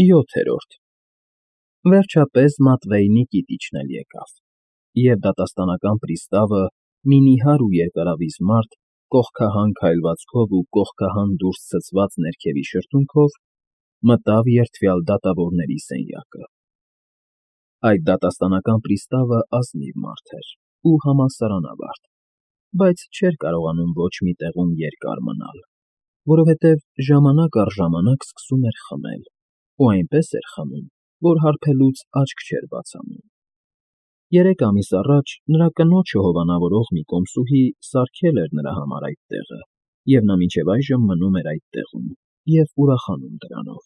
7-րդ Վերջապես Մատվեյնի կիտիչն էլ եկավ, և դատաստանական պրիստավը, մի նիհար ու երկարավիզ մարդ, կողքահան քայլվածքով ու կողքահան դուրս ցցված ներքևի շրթունքով, մտավ երդվյալ դատավորների սենյակը։ Այդ դատաստանական պրիստավը ազնիվ մարդ էր ու համալսարանավարտ, բայց չէր կարողանում ոչ մի տեղում երկար մնալ, որովհետև ժամանակ առ ժամանակ սկսում էր խմել, ու այնպես էր խմում, որ հարբելուց աչք չէր բացանում։ 3 ամիս առաջ նրա կնոջը հովանավորող մի կոմսուհի սարքել էր նրա համար այդ տեղը, և նա մինչև այժմ մնում էր այդ տեղում և ուրախանում դրանով։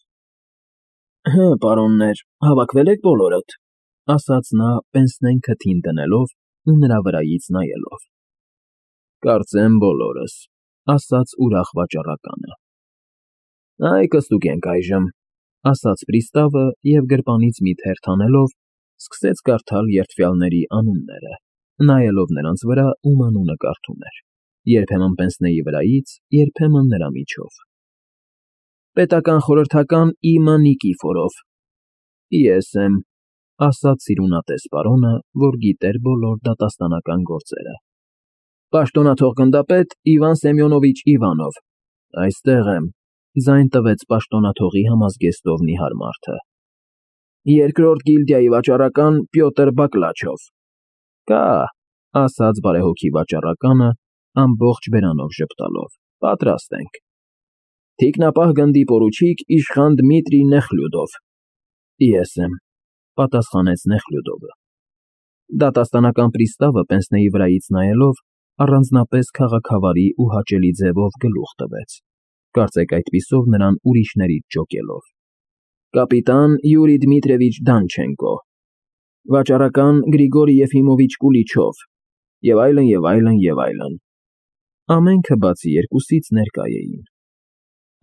«Հը, պարոններ, հավաքվե՞լ եք բոլորդ», ֊ ասաց նա պենսնեն քթին դնելով ու նրա վրայից նայելով։ «Կարծեմ բոլորս», ֊ ասաց ուրախ վաճառականը։ «Այ կստուգենք այժմ», ֊ ասաց պրիստավը և գրպանից մի թերթ հանելով սկսեց կարդալ երդվյալների անունները, նայելով նրանց վրա, ում անունը կարդում էր, երբեմն պենսնեի վրայից, երբեմն նրա միջով։ «Պետական խորհրդական Իմա Նիկիֆորով»։ «Ես եմ», ֊ ասաց սիրունատես պարոնը, որ գիտեր բոլոր դատաստանական գործերը։ «Պաշտոնաթող գնդապետ Իվան Սեմյոնովիչ Իվանով»։ «Այստեղ եմ», ֊ ձայն տվեց պաշտոնաթողի համազգեստով նիհար մարդը։ «Երկրորդ գիլդիայի վաճառական Պյոտր Բակլաչով»։ «Կա», ֊ ասաց բարեհոգի վաճառականը, ամբողջ բերանով ժպտալով, «պատրաստ ենք»։ «Թիկնապահ գնդի պորուչիկ իշխան Դմիտրի Նեխլյուդով»։ «Ես եմ», ֊ պատասխանեց Նեխլյուդովը։ Դատաստանական պրիստավը պենսնեի վրայից նայելով առանձնապես քաղաքավարի ու հաճելի ձևով գլուխ տվեց, կարծեք այդպիսով նրան ուրիշներից ջոկելով։ «Կապիտան Յուրի Դմիտրիևիչ Դանչենկո», «Վաճառական Գրիգորի Եֆիմովիչ Կուլիչով» և այլն, և այլն, և այլն։ Ամենքը բացի երկուսից ներկա էին։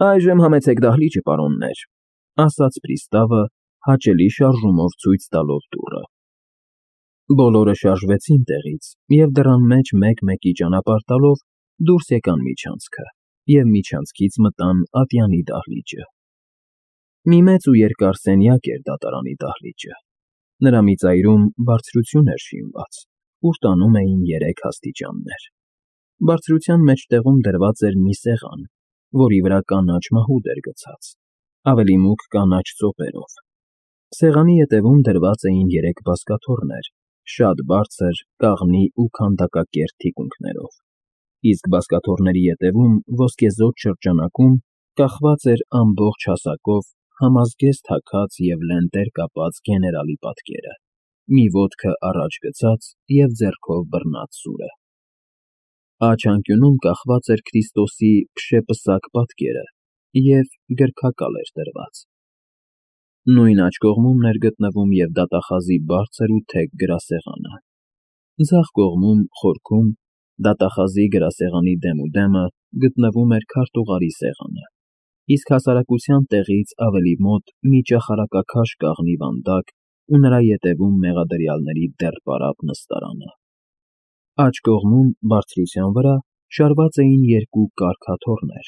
«Այժմ համեցեք դահլիճը, պարոններ», ֊ ասաց պրիստավը, հաճելի շարժումով ցույց տալով դուռը։ Բոլորը շարժվեցին տեղից և դռան մեջ մեկ֊մեկի ճանապարհ տալով դուրս եկան միջանցքը և միջանցքից մտան ատյանի դահլիճը։ Մի մեծ ու երկար սենյակ էր դատարանի դահլիճը։ Նրա մի ծայրում բարձրություն էր շինված, ուր տանում էին 3 աստիճաններ։ Բարձրության մեջտեղում դրված էր մի սեղան, որի վրա կանաչ մահուդ էր գցած, ավելի մուգ կանաչ ծոպերով։ Սեղանի ետևում դրված էին 3 բազկաթոռներ, շատ բարձր, կաղնի ու քանդակակերտ թիկունքներով, իսկ բազկաթոռների ետևում ոսկեզօծ շրջանակում կախված էր ամբողջ հասակով համազգեստ հագած և լենտեր կապած գեներալի պատկերը, մի ոտքը առաջ գցած և ձեռքով բռնած սուրը։ Աջ անկյունում կախված էր Քրիստոսի փշեպսակ պատկերը և գրքակալ էր դրված։ Նույն աջ կողմում էր գտնվում և դատախազի բարձր ու թեք գրասեղանը։ Ձախ կողմում, խորքում, դատախազի գրասեղանի դեմուդեմը գտնվում էր քարտուղարի սեղանը, իսկ հասարակության տեղից ավելի մոտ մի ճախարակաքաշ կաղնի վանդակ ու նրա ետևում մեղադրյալների դեռ պարապ նստարանը։ Աջ կողմում, բարձրության վրա, շարված էին 2 կառք աթոռներ,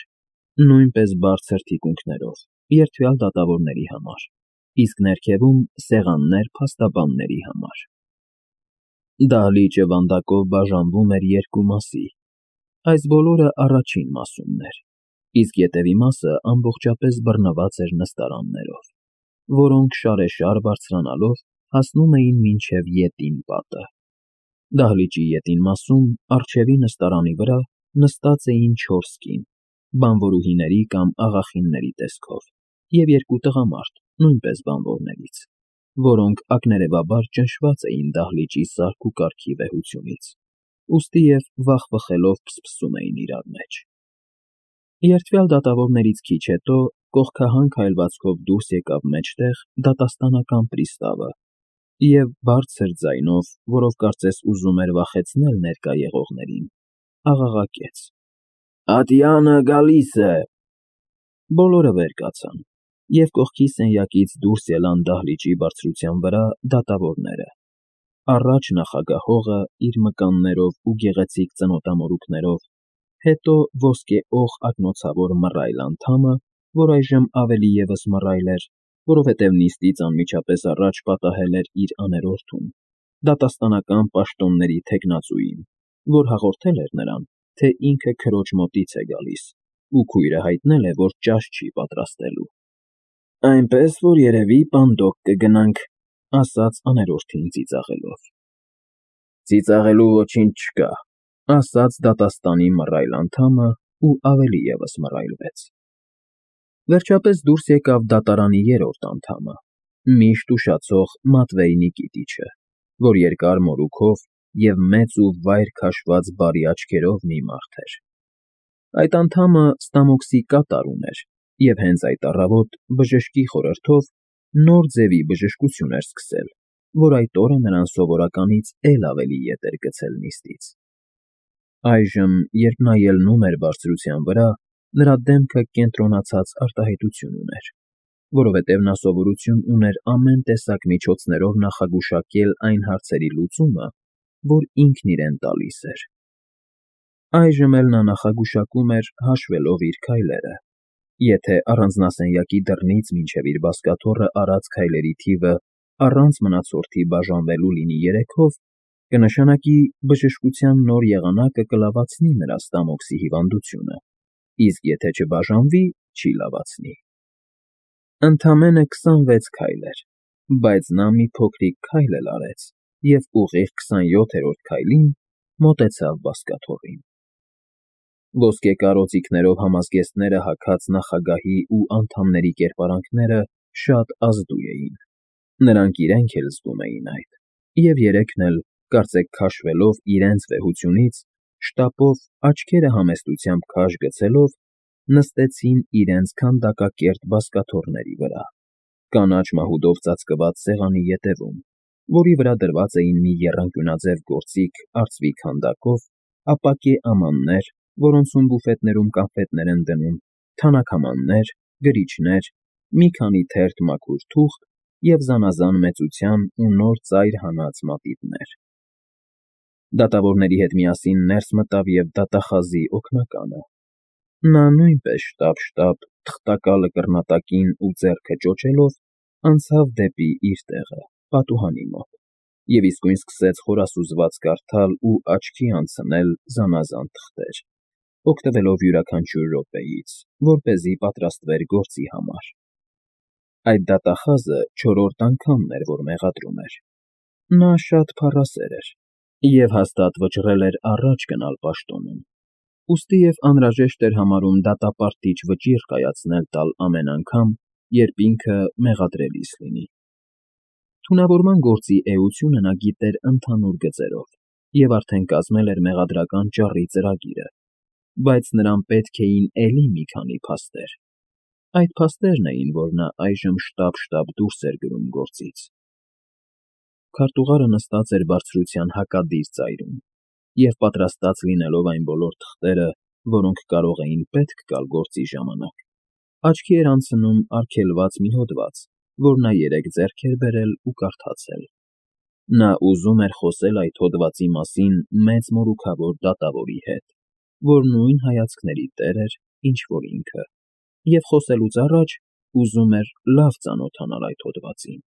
նույնպես բարձր թիկունքներով, երդվյալ դատավորների համար, իսկ ներքևում սեղաններ փաստաբանների համար։ Դահլիճը վանդակով բաժանվում էր 2 մասի, այս բոլորը առաջին մասումն էր, իսկ ետևի մասը ամբողջապես բռնված էր նստարաններով, որոնք շարեշար բարձրանալով հասնում էին մինչև ետին պատը։ Դահլիճի ետին մասում, առջևի նստարանի վրա, նստած էին 4 կին, բանվորուհիների կամ աղախինների տեսքով, և 2 տղամարդ, նույնպես բանվորներից, որոնք ակներևաբար ճնշված էին դահլիճի սարք ու կարգի վեհությունից, ուստիև վախվխելով փսփսում էին իրար մեջ։ Երդվյալ դատավորներից քիչ հետո կողքահան քայլվածքով դուրս եկավ մեջտեղ դատաստանական պրիստավը և բարձր ձայնով, որով կարծես ուզում էր վախեցնել ներկա եղողներին, աղաղակեց. «Ատյանը գալիս է»։ Բոլորը վեր կացան, և կողքի սենյակից դուրս ելան դահլիճի բարձրության վրա դատավորները։ Առաջ նախագահողը իր մկաններով ու գեղեցիկ ծնոտամորուքներով, հետո ոսկեօղ ակնոցավոր մռայլ անդամը, որ այժմ ավելի ևս մռայլ էր, որովհետև նիստից անմիջապես առաջ պատահել էր իր աներորդուն, դատաստանական պաշտոնների թեկնածուին, որ հաղորդել էր նրան, թե ինքը քրոջ մոտից է գալիս, ու քույրը հայտնել է, որ ճաշ չի պատրաստելու։ Այնպես որ երևի պանդոկ կգնանք, ասաց աներորդին ծիծաղելով։ Ծիծաղելու ոչինչ չկա, ասաց դատաստանի մռայլ անդամը ու ավելի ևս մռայլվեց։ Վերջապես դուրս եկավ դատարանի երրորդ անդամը, միշտ ուշացող Մատվեյ Նիկիտիչը, որ երկար մորուքով և մեծ ու վայր քաշված բարի աչքերով մի մարդ էր։ Այդ անդամը ստամոքսի կատար ուներ, և հենց այդ առավոտ բժշկի խորհրդով նոր ձևի բժշկություն էր սկսել, որ այդ օրը նրան սովորականից էլ ավելի ետ էր գցել նիստից։ Այժմ, երբ նա ելնում էր բարձրության վրա, նրա դեմքը կենտրոնացած արտահայտություն ուներ, որովհետև նա սովորություն ուներ ամեն տեսակ միջոցներով նախագուշակել այն հարցերի լուծումը, որ ինքն իրեն տալիս էր։ Այժմ էլ նա նախագուշակում էր հաշվելով իր քայլերը։ Եթե առանձնասենյակի դռնից մինչև իր բազկաթոռը արած քայլերի թիվը առանց մնացորդի բաժանվելու լինի 3-ով, կնշանակի բժշկության նոր եղանակը կլավացնի նրա ստամոքսի հիվանդությունը, իսկ եթե չբաժանվի, չի լավացնի։ Ընդամենը 26 քայլ էր, բայց նա մի փոքրիկ քայլ էլ արեց և ուղիղ 27-րդ քայլին մոտեցավ բազկաթոռին։ Ոսկե կարծիքներով համազգեստները հագած նախագահի ու անդամների կերպարանքները շատ ազդու էին, նրանք իրենք էլ զգում էին այդ, և երեքն էլ, կարծեք քաշվելով իրենց վեհությունից, շտապով աչքերը համեստությամբ քաշ գցելով, նստեցին իրենց քանդակակերտ բազկաթոռների վրա, կանաչ մահուդով ծածկված սեղանի ետևում, որի վրա դրված էին մի եռանկյունաձև գործիք արծվի քանդակով, ապակե ամաններ, որոնցում բուֆետներում կոնֆետներ են դնում, թանաքամաններ, գրիչներ, մի քանի թերթ մաքուր թուղթ և զանազան մեծության ու նոր ծայր հանած մատիտներ։ Դատավորների հետ միասին ներս մտավ և դատախազի օգնականը։ Նա նույնպես շտապ-շտապ, թղթակալը կռնատակին ու ձեռքը ճոճելով, անցավ դեպի իր տեղը, պատուհանի մոտ, և իսկույն սկսեց խորասուզված կարդալ ու աչքի անցնել զանազան թղթեր, օգտվելով յուրաքանչյուր րոպեից, որպեսզի պատրաստվեր գործի համար։ Այդ դատախազը չորրորդ անգամն էր, որ մեղադրում էր։ Նա շատ փառասեր էր և հաստատ վճռել էր առաջ գնալ պաշտոնում, ուստիև անհրաժեշտ էր համարում դատապարտիչ վճիռ կայացնել տալ ամեն անգամ, երբ ինքը մեղադրելիս լինի։ Թունավորման գործի էությունը նա գիտեր ընդհանուր գծերով և արդեն կազմել էր մեղադրական ճառի ծրագիրը, բայց նրան պետք էին էլի մի քանի փաստեր։ Այդ փաստերն էին, որ նա այժմ շտապ-շտապ դուրս էր գրում գործից։ Քարտուղարը նստած էր բարձրության հակադիր ծայրում, և պատրաստած լինելով այն բոլոր թղթերը, որոնք կարող էին պետք գալ գործի ժամանակ, աչքի էր անցնում արգելված մի հոդված, որ նա երեկ ձեռք էր բերել ու կարդացել։ Նա ուզում էր խոսել այդ հոդվածի մասին մեծ մորուքավոր դատավորի հետ, որ նույն հայացքների տեր էր, ինչ որ ինքը, և խոսելուց առաջ ուզում էր լավ ծանոթանալ այդ հոդվածին։